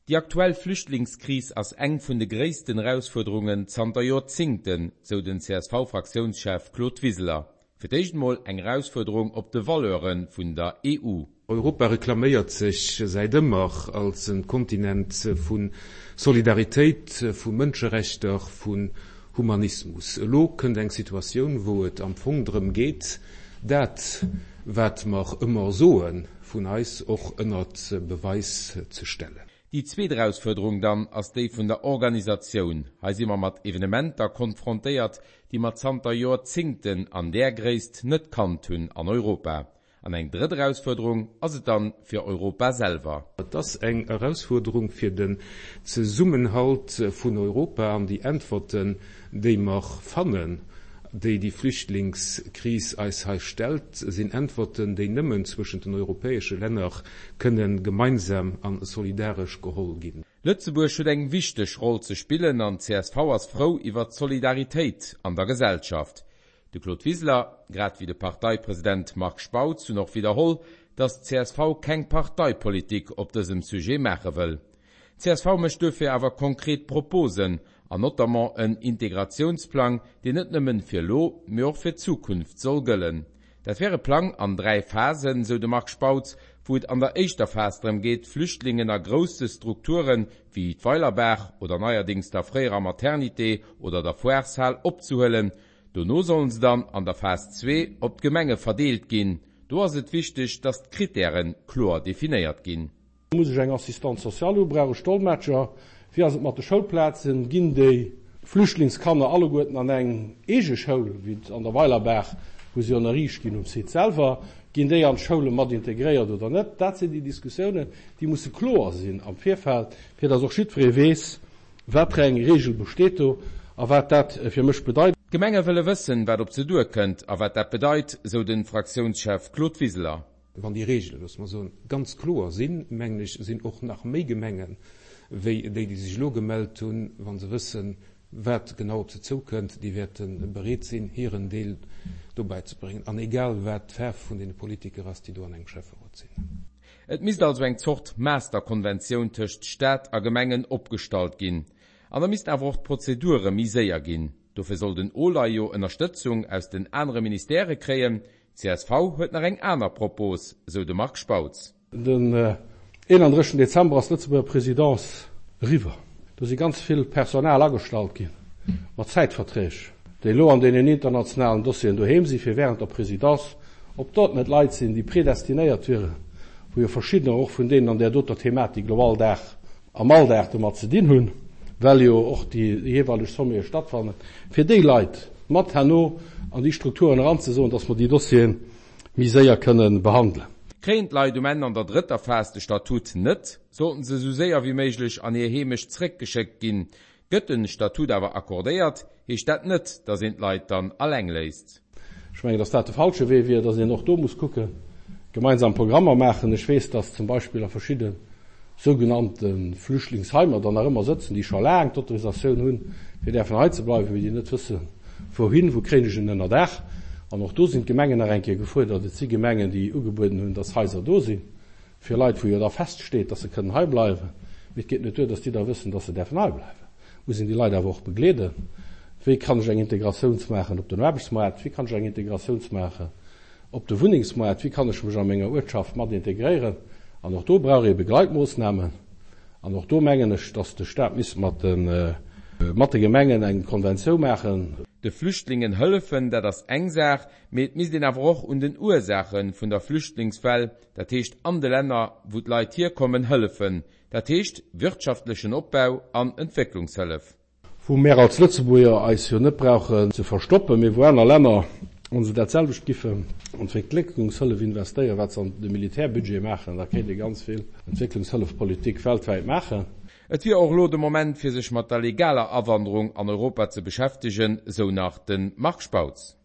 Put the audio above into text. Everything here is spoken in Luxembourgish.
Déi aktuell Flüchtlingskris ass eng vun de gréissten Erausfuerderungen zanter Joerzingten, sou den CSV-Fraktiounschef Claude Wiseler. Fir d'éischt mol eng Erausfuerderung op de Valeure vun der EU. Europa reklaméiert sech säit ëmmer als e Kontinent vu Solidaritéit, vu Mënscherechter, vun Humanismus. Elo kënnt eng Situatioun, wou et am Fong drëm geet, dat, wat mer ëmmer soen, vun eis och ënnert Beweis ze stellen. Déi zweet Erausfuerderung dann ass déi vun der Organisatioun. Hei si mer mat Evenementer konfrontéiert, déi mer zanter Joerzingten an där Gréisst net kannt hunn an Europa. An eng drëtt Erausfuerderung ass et dann fir Europa selwer. Et ass eng Erausfuerderung fir den Zesummenhalt vun Europa an déi Äntwerten, déi mer fannen, déi déi Flüchtlingskris eis hei stellt, sinn Äntwerten, déi nëmmen zwëschent den europäesche Länner kënnen gemeinsam a solidaresch geholl ginn. Lëtzebuerg huet eng wichteg Roll ze spillen an csv ass frou iwwert d'Solidaritéit an der Gesellschaft. De Claude Wiseler, grad wéi de Parteipresident Marc Spautz hunn och widderholl, datt csv keng Parteipolitik op dësem Sujet maache wëll. Csv mécht duerfir awer konkret Proposen, an notamment en Integratiounsplang, deen net nëmmen fir elo, mee och fir d'Zukunft soll gëllen. Dat wär e Plang an 3 Phasen, sou de Marc Spautz, wou et an der éischter Phas drëm geet, d'Flüchtlingen a grousse Strukture wéi d'Weilerbaach oder neierdéngs der fréierer Maternité oder der Foireshal opzehuelen. Dono sollen se dann an der Phas 2 op d'Gemenge verdeelt ginn. Do ass et wichteg, datt d'Krittäre kloer definéiert ginn. Muss ech eng Assistante sociale hu? Brauch ech Dolmetscher? Wéi ass et mat de Schoulplazen? Ginn déi Flüchtlingskanner alleguerten an eng eege Schoul, wéi an der Weilerbaach, wou se jo ënnerriicht ginn um Site selwer? Ginn déi an d'Schoule mat integréiert oder net? Dat sinn déi Diskussiounen, déi musse kloer sinn am Virfeld, fir datt och jiddweree weess, wat fir eng Reegel besteet do a wat dat fir mech bedeit. D'Gemenge wëlle wëssen, wat op se duerkënnt a wat dat bedeit, sou de Fraktiounschef Claude Wiseler. Wann déi Regelen, loosse mer soen, ganz kloer sinn, mengen ech, sinn och nach méi Gemengen, wéi déi, déi sech elo gemellt hunn, wa se wëssen, wat genau op se zoukënnt, déi wäerte bereet sinn, hiren Deel do bäizebréngen, an egal wat d'Faarf vun deene Politiker ass, déi do an engem Schäfferot sinn. Et misst also eng Zort Masterkonventioun tëscht Staat a Gemengen opgestallt ginn. An da missten awer och d'Prozedure méi séier ginn. Dofir soll den OLAI jo Ënnerstëtzung aus den anere Ministèrë kréien, Csv huet nach eng aner Propos, sou de Marc Spautz. Den 31 Dezember ass d'Lëtzebuerger Présidence eriwwer. Do si ganz vill Personal agestallt gi mat Zäitverträg, déi elo an deenen internationalen Dossieren doheem si fir während der Présidence, ob dat net Leit sinn, déi predestinéiert wieren, wou jo verschiddener och vun deenen an där doter Thematik elo all Dag am Alldag domat ze dinn hunn, well jo och déi jeeweileg Sommete stattfannen, fir déi Leit mat herno an déi Strukturen eranzesoen, dass mer déi Dossiere méi séier kënnen behandelen. Kréien d'Leit um Enn an der drëtter Phas de Statut net, sollten se esou séier wéi méiglech an hir Heemecht zréckgeschéckt ginn. Gëtt den Statut awer accordéiert, heescht dat net, dass een d'Leit dann alleng léisst. Ech mengen, dass dat de falsche Wee wier, dass een och do muss kucken, gemeinsam Programmer maachen. Ech weess, dass zum Beispill a verschidde sougenannte Flüchtlingsheimer der nach ëmmer sëtzen, déi scho laang d'Autorisatioun hunn, fir däerfen hei ze bleiwen, mee déi net wëssen, wouhin, wou kréien ech en Ënnerdaach. An och do sinn d'Gemengen nach eng Kéier gefuerdert. Et si Gemengen, déi ugebueden hunn, dass Haiser do sinn. Fir Leit, wou jo da feststeet, dass se kënnen hei bleiwen, mee et geet net duer, dass déi da wëssen, dass se däerfen hei bleiwen, muss een déi Leit awer och begleeden. Wéi kann ech eng Integratiouns maachen op den Aarbechtsmoart? Wéi kann ech eng Integratiouns maachen op de Wunnengsmoart? Wéi kann ech mech a menger Uertschaft mat integréieren? An och do brauch ee Begleitmoossnamen. An och do mengen ech, dass de Stat misst mat de mat de Gemengen eng Konventioun maachen. De Flüchtlingen hëllefen, dat ass eng Saach, mee et misst een awer och un den Ursaache vun der Flüchtlingswell, dat heescht an de Länner, wou d'Leit hierkommen, hëllefen, dat heescht wirtschaftlechen Opbau an Entwécklungshëllef. Wou mär als Lëtzebuerger eis jo net brauchen ze verstoppen, mee wou aner Länner, wa se dat selwecht giffen an d'Entwécklungshëllef investéieren, wat se an de Militärbudget maachen, da kéint ee ganz vill Entwécklungshëllefpolitik weltwäit maachen. Et wier och elo de Moment, fir sech mat der legaler Awanderung an Europa ze beschäftegen, sou nach de Marc Spautz.